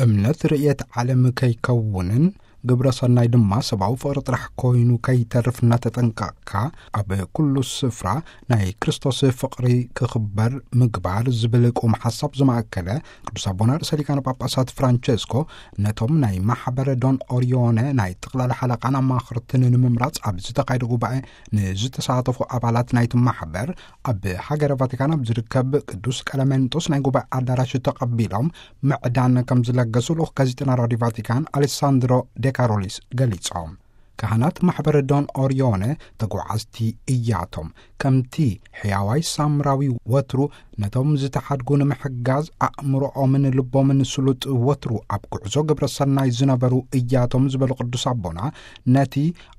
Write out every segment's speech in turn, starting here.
እምነት ርእየት ዓለም ከይከውንን ግብረ ሰናይ ድማ ሰብኣዊ ፍቕሪ ጥራሕ ኮይኑ ከይተርፍ እናተጠንቀቕካ፣ ኣብ ኩሉ ስፍራ ናይ ክርስቶስ ፍቕሪ ክኽበር ምግባር ዝብል ቁም ሓሳብ ዝማእከለ፣ ቅዱስ ኣቦና ርእሰ ሊቃነ ጳጳሳት ፍራንቸስኮ ነቶም ናይ ማሕበረ ዶን ኦሪዮነ ናይ ጠቕላላ ሓለቓን ኣማኽርትን ንምምራጽ ኣብ ዝተኻየደ ጉባኤ ንዝተሳተፉ ኣባላት ናይቲ ማሕበር ኣብ ሃገረ ቫቲካን ኣብ ዝርከብ ቅዱስ ቀለሜንጦስ ናይ ጉባኤ ኣዳራሽ ተቐቢሎም ምዕዳን ከም ዝለገሱ ልኡኽ ጋዜጠና ራዲዮ ቫቲካን ኣሌሳንድሮ ዴካሮሊስ ገሊጾም። ካህናት ማሕበረ ዶን ኦሪዮነ ተጓዓዝቲ እያቶም። ከምቲ ሕያዋይ ሳምራዊ ወትሩ ነቶም ዝተሓድጉ ንምሕጋዝ ኣእምሮኦምን ልቦምን ስሉጥ ወትሩ ኣብ ጉዕዞ ግብረ ሰናይ ዝነበሩ እያቶም ዝበሉ ቅዱስ ኣቦና፣ ነቲ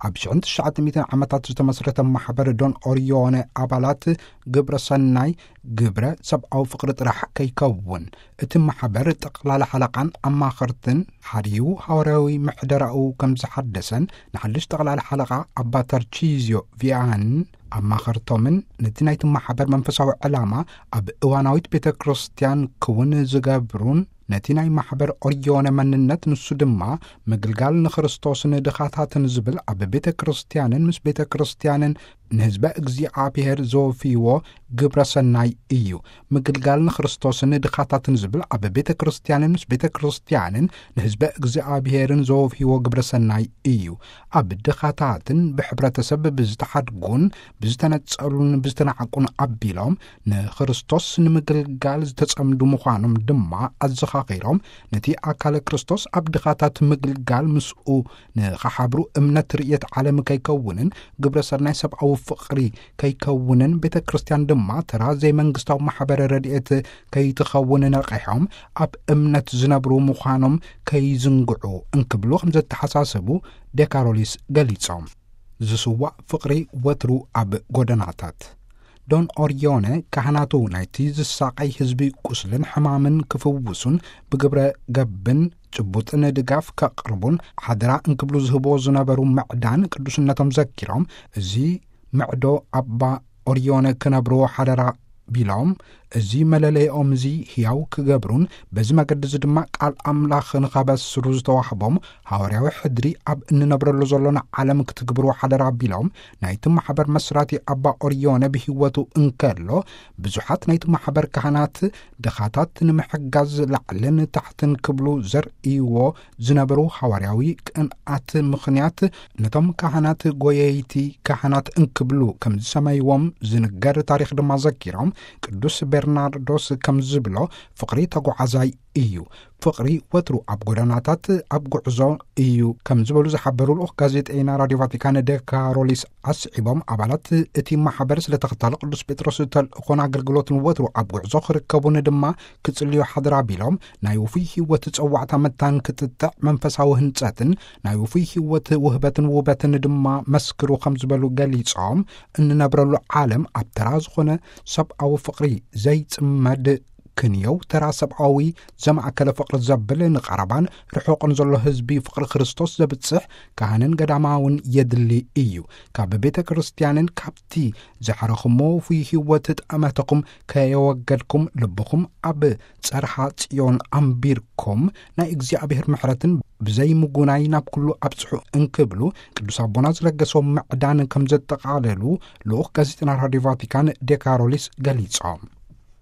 ኣብ ሽሕን ትሽዓተ ሚእትን ዓመታት ዝተመስረተ ማሕበር ዶን ኦሪዮነ ኣባላት ግብረ ሰናይ ግብረ ሰብኣዊ ፍቕሪ ጥራሕ ከይከውን፣ እቲ ማሕበር ጠቕላላ ሓለቓን ኣማኸርትን ሓድዩ ሃዋርያዊ ምሕደራኡ ከም ዝሓደሰን፣ ንሓድሽ ጠቕላላ ሓለቓ ኣባ ተርቺዝዮ ቪያንን ኣማኸርቶምን ነቲ ናይቲ ማሕበር መንፈሳዊ ዕላማ ኣብ እዋናዊት ቤተ ክርስቲያን ክውን ዝገብሩን፣ ነቲ ናይ ማሕበር ኦሪዮነ መንነት፣ ንሱ ድማ ምግልጋል ንክርስቶስን ድኻታትን ዝብል ኣብ ቤተ ክርስቲያንን ምስ ቤተ ክርስቲያንን ንህዝበ እግዚኣብሔር ዘወፍይዎ ግብረ ሰናይ እዩ። ምግልጋል ንክርስቶስን ድኻታትን ዝብል ኣብ ቤተ ክርስቲያንን ምስ ቤተ ክርስቲያንን ንህዝበ እግዚኣብሔርን ዘወፍይዎ ግብረ ሰናይ እዩ። ኣብ ድኻታትን ብሕብረተሰብ ብዝተሓድጉን ብዝተነጸሉን ብዝተናዕቁን ኣቢሎም ንክርስቶስ ንምግልጋል ዝተጸምዱ ምዃኖም ድማ ኣዘኻኺሮም፣ ነቲ ኣካለ ክርስቶስ ኣብ ድኻታት ምግልጋል ምስኡ ንኸሓብሩ እምነት ርእየት ዓለም ከይከውንን ግብረ ሰናይ ሰብኣዊ ፍቕሪ ከይከውንን ቤተ ክርስቲያን ድማ ተራ ዘይመንግስታዊ ማሕበረ ረድኤት ከይትኸውን ነቒሖም፣ ኣብ እምነት ዝነብሩ ምዃኖም ከይዝንግዑ እንክብሉ ከም ዘተሓሳሰቡ ዴካሮሊስ ገሊጾም። ዝስዋእ ፍቕሪ ወትሩ ኣብ ጎደናታት። ዶን ኦሪዮነ ካህናቱ ናይቲ ዝሳቐይ ህዝቢ ቁስልን ሕማምን ክፍውሱን ብግብረ ገብን ጭቡጥን ድጋፍ ከቕርቡን ሓደራ እንክብሉ ዝህብዎ ዝነበሩ ምዕዳን ቅዱስነቶም ዘኪሮም፣ እዚ ምዕዶ ኣባ ኦሪዮነ ክነብርዎ ሓደራ ቢሎም፣ እዚ መለለይኦም እዚ ህያው ክገብሩን በዚ መገዲ እዚ ድማ ቃል ኣምላኽ ንኸበስሩ ዝተዋህቦም ሃዋርያዊ ሕድሪ ኣብ እንነብረሉ ዘሎና ዓለም ክትግብርዎ ሓደራ ቢሎም፣ ናይቲ ማሕበር መስራቲ ኣባ ኦሪዮነ ብህይወቱ እንከሎ ብዙሓት ናይቲ ማሕበር ካህናት ድኻታት ንምሕጋዝ ላዕልን ታሕትን ክብሉ ዘርእይዎ ዝነበሩ ሃዋርያዊ ቅንኣት ምኽንያት፣ ነቶም ካህናት ጎየይቲ ካህናት እንክብሉ ከም ዝሰመይዎም ዝንገር ታሪኽ ድማ ዘኪሮም፣ ቅዱስ ቤርናርዶስ ከም ዝብሎ፣ ፍቕሪ ተጓዓዛይ እዩ። ፍቕሪ ወትሩ ኣብ ጎደናታት ኣብ ጉዕዞ እዩ ከም ዝበሉ ዝሓበሩ ልኡኽ ጋዜጠይና ራዲዮ ቫቲካን ዴካሮሊስ ኣስዒቦም፣ ኣባላት እቲ ማሕበር ስለ ተኸታሊ ቅዱስ ጴጥሮስ ተልእኾን ኣገልግሎትን ወትሩ ኣብ ጉዕዞ ክርከቡን ድማ ክጽልዩ ሓድራ ቢሎም፣ ናይ ውፉይ ህይወት ጸዋዕታ መታን ክጥጥዕ መንፈሳዊ ህንጸትን ናይ ውፉይ ህይወት ውህበትን ውበትን ድማ መስክሩ ከም ዝበሉ ገሊጾም፣ እንነብረሉ ዓለም ኣብ ተራ ዝኾነ ሰብኣዊ ፍቕሪ ዘይጽመድ ክንየው ተራ ሰብኣዊ ዘማእከለ ፍቕሪ ዘብል ንቐረባን ርሑቕን ዘሎ ህዝቢ ፍቕሪ ክርስቶስ ዘብጽሕ ካህንን ገዳማውን የድሊ እዩ። ካብ ቤተ ክርስቲያንን ካብቲ ዘሕረኹሞ ውፉይ ህይወት ጠመተኹም ከየወገድኩም ልብኹም ኣብ ጸርሓ ጽዮን ኣንቢርኩም ናይ እግዚኣብሔር ምሕረትን ብዘይምጉናይ ናብ ኩሉ ኣብጽሑ እንክብሉ ቅዱስ ኣቦና ዝለገሶም ምዕዳን ከም ዘጠቓለሉ ልኡኽ ጋዜጠና ራዲዮ ቫቲካን ዴካሮሊስ ገሊጾም።